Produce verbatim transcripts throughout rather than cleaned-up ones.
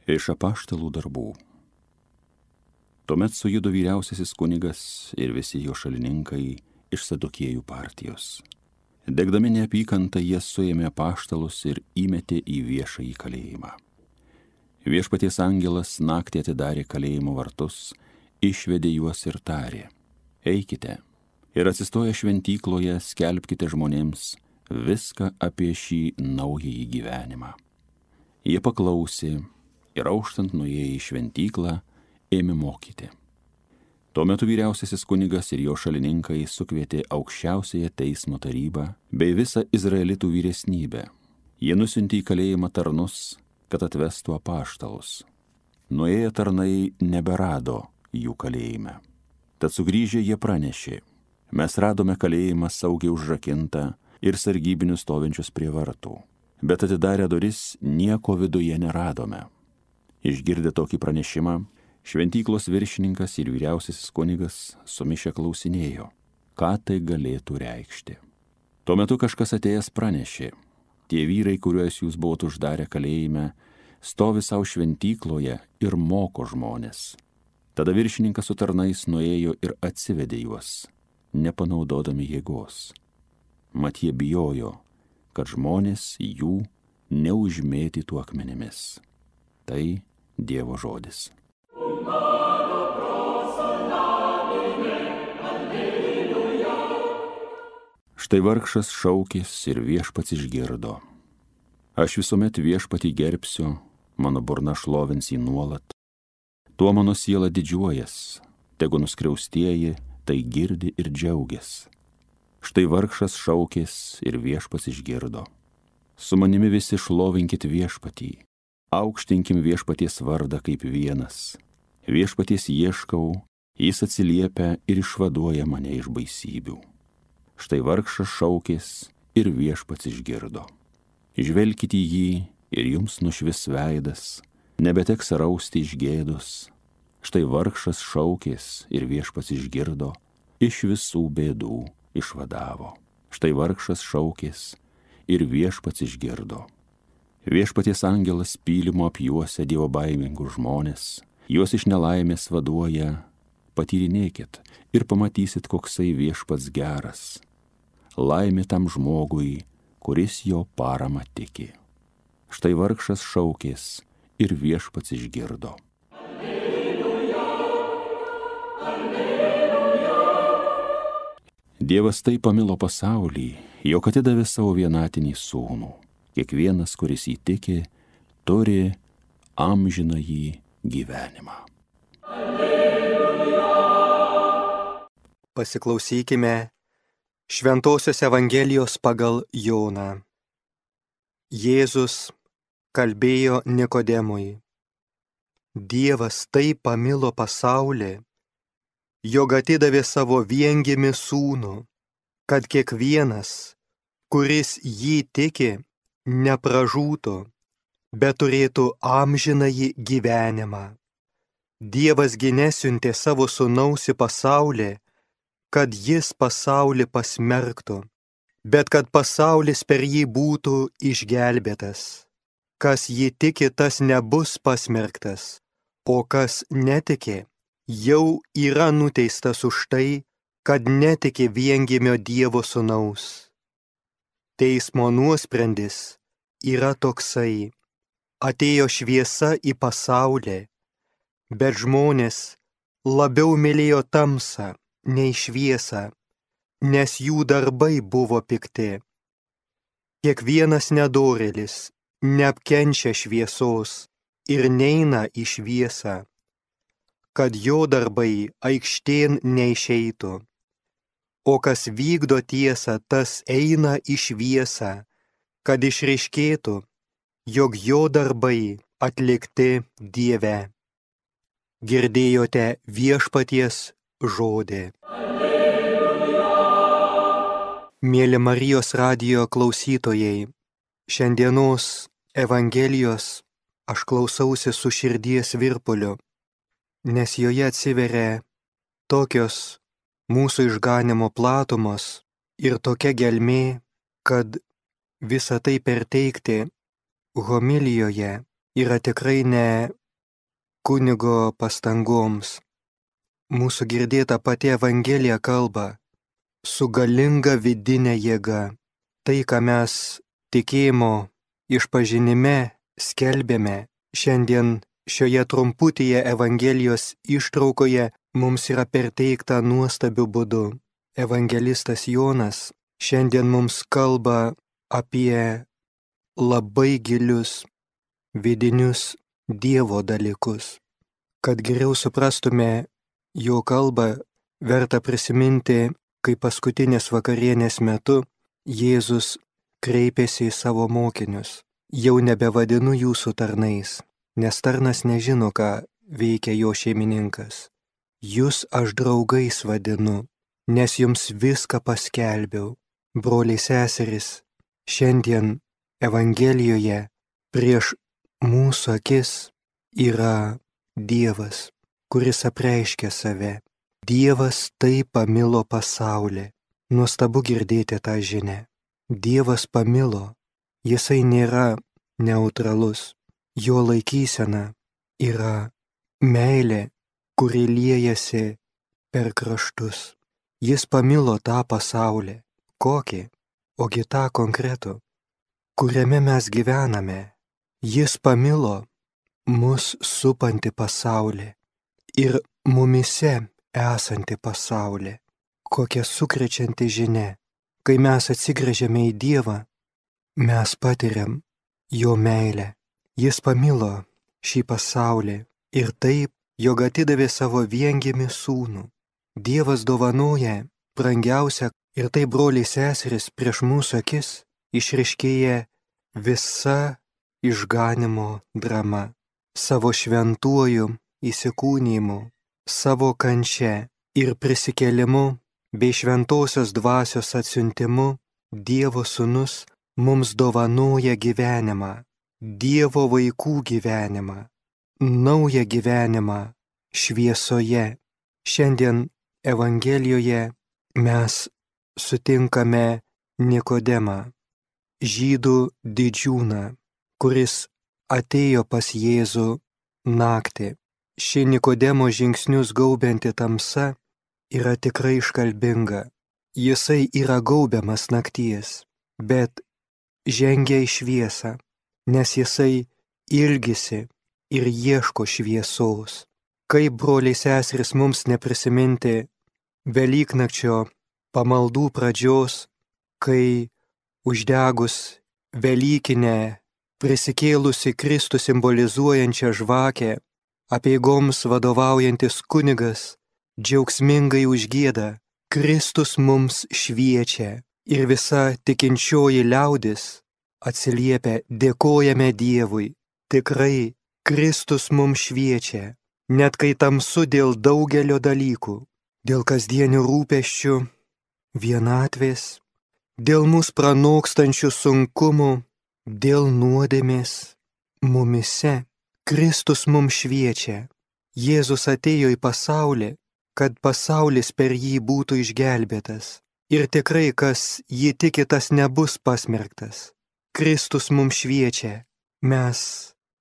Iš apaštalų darbų. Tuomet sujudo vyriausiasis kunigas ir visi jo šalininkai iš Sadukėjų partijos. Degdami neapykantą jie suėmė apaštalus ir įmetė į viešąjį kalėjimą. Viešpaties angelas naktį atidarė kalėjimo vartus, išvedė juos ir tarė: eikite ir atsistoję šventykloje skelbkite žmonėms viską apie šį naująjį gyvenimą. Jie paklausė ir auštant nuėję į šventyklą ėmė mokyti. Tuo metu vyriausiasis kunigas ir jo šalininkai sukvietė aukščiausiąją teismo tarybą bei visą izraelitų vyresnybę. Jie nusiuntė į kalėjimą tarnus, kad atvestų apaštalus. Nuėję tarnai neberado jų kalėjime. Tad sugrįžę jie pranešė: mes radome kalėjimą saugiai užrakintą ir sargybinius stovinčius prie vartų, bet atidarę duris nieko viduje neradome. Išgirdę tokį pranešimą, šventyklos viršininkas ir vyriausiasis kunigas sumišę klausinėjo, ką tai galėtų reikšti. Tuo metu kažkas atėjęs pranešė: tie vyrai, kuriuos jūs buvot uždarę kalėjime, stovi savo šventykloje ir moko žmonės. Tada viršininkas su tarnais nuėjo ir atsivedė juos, nepanaudodami jėgos. Mat jie bijojo, kad žmonės jų neužmėtytų akmenimis. Tai Dievo žodis. Štai vargšas šaukės ir viešpats išgirdo. Aš visuomet viešpatį gerbsiu, mano burna šlovins jį nuolat. Tuo mano siela didžiuojas, tegu nuskriaustieji tai girdi ir džiaugias. Štai vargšas šaukės ir viešpats išgirdo. Su manimi visi šlovinkit viešpatį, aukštinkim viešpaties vardą kaip vienas. Viešpaties ieškau, jis atsiliepia ir išvaduoja mane iš baisybių. Štai vargšas šaukės ir viešpats išgirdo. Žvelkite į jį ir jums nušvis veidas, nebeteks rausti iš gėdos. Štai vargšas šaukės ir viešpats išgirdo, iš visų bėdų išvadavo. Štai vargšas šaukės ir viešpats išgirdo. Viešpaties angelas pylimo apjuosia dievobaimingus žmonės, juos iš nelaimės vaduoja. Patyrinėkit ir pamatysit, koksai viešpats geras. Laimė tam žmogui, kuris jo parama tiki. Štai vargšas šaukės ir viešpats išgirdo. Alleluja, alleluja. Dievas taip pamilo pasaulį, jog atidavė savo vienatinį sūnų. Kiekvienas, kuris įtiki, turi amžinąjį gyvenimą. Alleluja. Pasiklausykime Šventosios Evangelijos pagal Joną. Jėzus kalbėjo Nikodemui: Dievas taip pamilo pasaulį, jog atidavė savo viengimį sūnų, kad kiekvienas, kuris jį tiki, nepražūtų, bet turėtų amžinąjį gyvenimą. Dievas gi nesiuntė savo sūnaus į pasaulį, kad jis pasaulį pasmerktų, bet kad pasaulis per jį būtų išgelbėtas. Kas jį tiki, tas nebus pasmerktas, o kas netiki, jau yra nuteistas už tai, kad netiki viengimio Dievo sūnaus. Teismo nuosprendis yra toksai: atėjo šviesa į pasaulį, bet žmonės labiau mylėjo tamsą nei šviesą, nes jų darbai buvo pikti. Kiekvienas nedorėlis neapkenčia šviesos ir neina į šviesą, kad jo darbai aikštėn neišeitų. O kas vykdo tiesą, tas eina į šviesą, kad išryškėtų, jog jo darbai atlikti Dieve. Girdėjote viešpaties žodį. Alleluja. Mėly Marijos radijo klausytojai, šiandienos Evangelijos aš klausausi su širdies virpuliu, nes joje atsiveria tokios mūsų išganimo platumos ir tokia gelmė, kad visą tai perteikti homilijoje yra tikrai ne kunigo pastangoms. Mūsų girdėta pati Evangelija kalba su galinga vidinė jėga. Tai, ką mes tikėjimo išpažinime skelbėme, šiandien šioje trumputėje Evangelijos ištraukoje mums yra perteikta nuostabiu būdu. Evangelistas Jonas šiandien mums kalba apie labai gilius vidinius Dievo dalykus. Kad geriau suprastume jo kalbą, verta prisiminti, kai paskutinės vakarienės metu Jėzus kreipėsi į savo mokinius. Jau nebevadinu jūsų tarnais, nes tarnas nežino, ką veikia jo šeimininkas. Jūs aš draugais vadinu, nes jums viską paskelbiau. Broliai seserys, šiandien Evangelijoje prieš mūsų akis yra Dievas, kuris apreiškia save. Dievas taip pamilo pasaulį. Nuostabu girdėti tą žinią. Dievas pamilo. Jisai nėra neutralus. Jo laikysena yra meilė, kuri liejasi per kraštus. Jis pamilo tą pasaulį. Kokį? Ogi tą konkretų, kuriame mes gyvename. Jis pamilo mus supantį pasaulį ir mumise esantį pasaulį. Kokia sukrečianti žinia. Kai mes atsigręžiame į Dievą, mes patiriam jo meilę. Jis pamilo šį pasaulį ir taip, jog atidavė savo viengimį sūnų. Dievas dovanoja brangiausią ir tai, broliai seserys, prieš mūsų akis išryškėja visa išganimo drama. Savo šventuoju įsikūnijimu, savo kančia ir prisikėlimu bei šventosios dvasios atsiuntimu Dievo sūnus mums dovanoja gyvenimą, Dievo vaikų gyvenimą, naują gyvenimą šviesoje. Šiandien Evangelijoje mes sutinkame Nikodemą, žydų didžiūną, kuris atėjo pas Jėzų naktį. Ši Nikodemo žingsnius gaubianti tamsa yra tikrai iškalbinga. Jisai yra gaubiamas nakties, bet žengia į šviesą, nes jisai ilgisi ir ieško šviesos. Kaip, broliai seserys, mums neprisiminti Velyknakčio pamaldų pradžios, kai uždegus Velykinę prisikėlusi Kristų simbolizuojančią žvakę, apeigoms vadovaujantis kunigas džiaugsmingai užgieda: Kristus mums šviečia, ir visa tikinčioji liaudis atsiliepia: dėkojame Dievui. Tikrai Kristus mums šviečia, net kai tamsu dėl daugelio dalykų, dėl kasdienių rūpesčių, vienatvės, dėl mus pranokstančių sunkumų, dėl nuodėmės. Mumise Kristus mums šviečia. Jėzus atėjo į pasaulį, kad pasaulis per jį būtų išgelbėtas. Ir tikrai, kas jį tiki, tas nebus pasmerktas. Kristus mums šviečia. Mes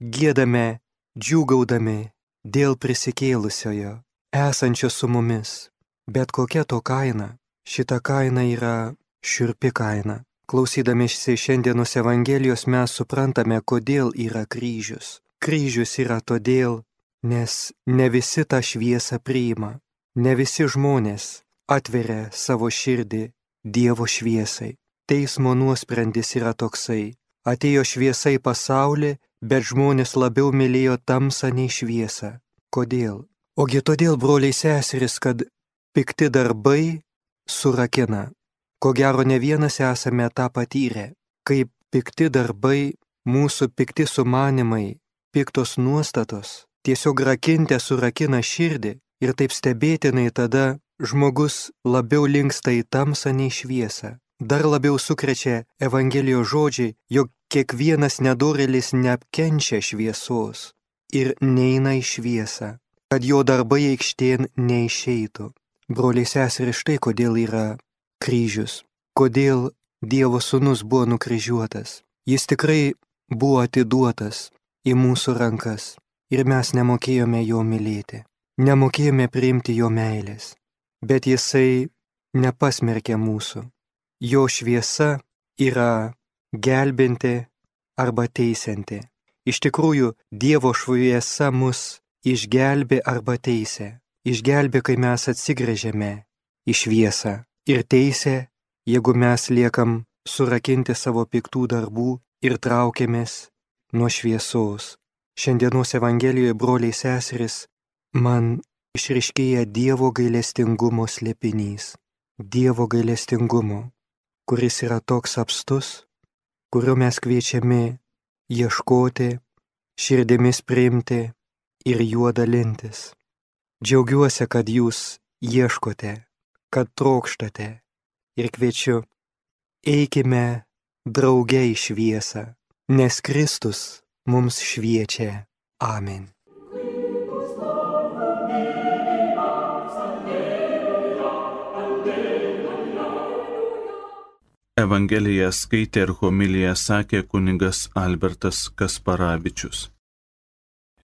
giedame, džiūgaudami dėl prisikėlusiojo, esančio su mumis. Bet kokia to kaina? Šita kaina yra šiurpi kaina. Klausydamiesi šiandienos Evangelijos mes suprantame, kodėl yra kryžius. Kryžius yra todėl, nes ne visi tą šviesą priima. Ne visi žmonės atveria savo širdį Dievo šviesai. Teismo nuosprendis yra toksai: atėjo šviesa į pasaulį, bet žmonės labiau mylėjo tamsą nei šviesą. Kodėl? Ogi todėl, broliai seserys, kad pikti darbai surakina. Ko gero, ne vienas esame tą patyrę, kaip pikti darbai, mūsų pikti sumanimai, piktos nuostatos tiesiog rakinte surakina širdį. Ir taip stebėtinai tada žmogus labiau linksta į tamsą nei šviesą. Dar labiau sukrečia Evangelijos žodžiai, jog kiekvienas nedorėlis neapkenčia šviesos ir neina į šviesą, kad jo darbai aikštėn neišeitų. Broliai seserys, štai kodėl yra kryžius. Kodėl Dievo sūnus buvo nukryžiuotas. Jis tikrai buvo atiduotas į mūsų rankas ir mes nemokėjome jo mylėti, nemokėjome priimti jo meilės, bet jisai nepasmerkė mūsų. Jo šviesa yra gelbinti arba teisianti. Iš tikrųjų, Dievo šviesa mus išgelbė arba teisė. Išgelbė, kai mes atsigręžiame į šviesą, ir teisė, jeigu mes liekam surakinti savo piktų darbų ir traukiamės nuo šviesos. Šiandienos Evangelijoje, broliai seserys, man išryškėja Dievo gailestingumo slėpinys. Dievo gailestingumo, kuris yra toks apstus, kurio mes kviečiami ieškoti, širdimis priimti ir juo dalintis. Džiaugiuosi, kad jūs ieškote, kad trokštate ir kviečiu, eikime drauge į šviesą, nes Kristus mums šviečia. Amen. Evangeliją skaitė ir homiliją sakė kunigas Albertas Kasparavičius.